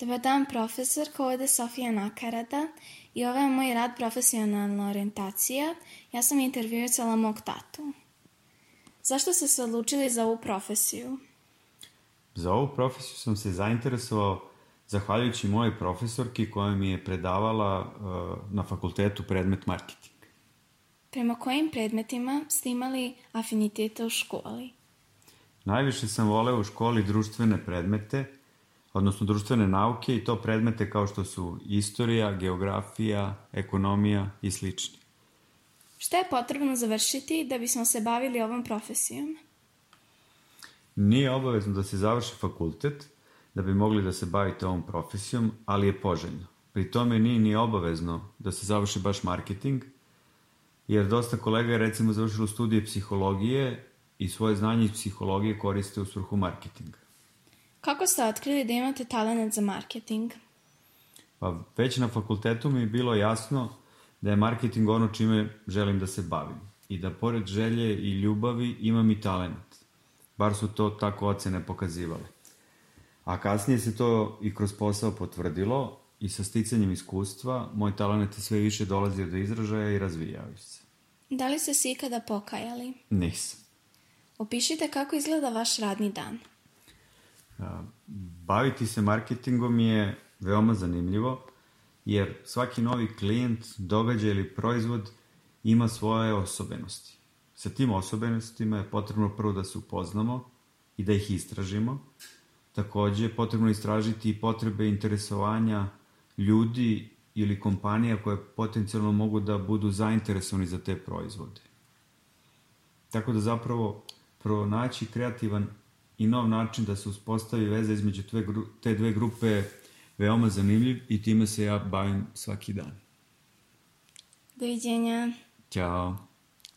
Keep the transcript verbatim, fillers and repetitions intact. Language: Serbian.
Dobar dan, profesorko, ovde je Sofija Nakarada i ovo je moj rad profesionalna orijentacija. Ja sam intervjuisala mog tatu. Zašto ste se odlučili za ovu profesiju? Za ovu profesiju sam se zainteresovao zahvaljujući mojoj profesorki koja mi je predavala uh, na fakultetu predmet marketing. Prema kojim predmetima ste imali afiniteta u školi? Najviše sam voleo u školi društvene predmete, odnosno društvene nauke i to predmete kao što su istorija, geografija, ekonomija i slični. Šta je potrebno završiti da bismo se bavili ovom profesijom? Nije obavezno da se završi fakultet da bi mogli da se bavite ovom profesijom, ali je poželjno. Pri tome nije ni obavezno da se završi baš marketing, jer dosta kolega je recimo završilo studije psihologije i svoje znanje iz psihologije koriste u svrhu marketinga. Kako ste otkrili da imate talent za marketing? Pa već na fakultetu mi je bilo jasno da je marketing ono čime želim da se bavim i da pored želje i ljubavi imam i talent. Bar su to tako ocene pokazivale. A kasnije se to i kroz posao potvrdilo i sa sticanjem iskustva moj talent je sve više dolazio do izražaja i razvijao se. Da li ste se ikada pokajali? Nisam. Opišite kako izgleda vaš radni dan. Baviti se marketingom je veoma zanimljivo, jer svaki novi klijent, događaj ili proizvod ima svoje osobenosti. Sa tim osobenostima je potrebno prvo da se upoznamo i da ih istražimo. Takođe je potrebno istražiti i potrebe interesovanja ljudi ili kompanija koje potencijalno mogu da budu zainteresovani za te proizvode. Tako da zapravo pronaći kreativan i nov način da se uspostavi veza između te dve grupe veoma zanimljiv i time se ja bavim svaki dan. Doviđenja. Ćao.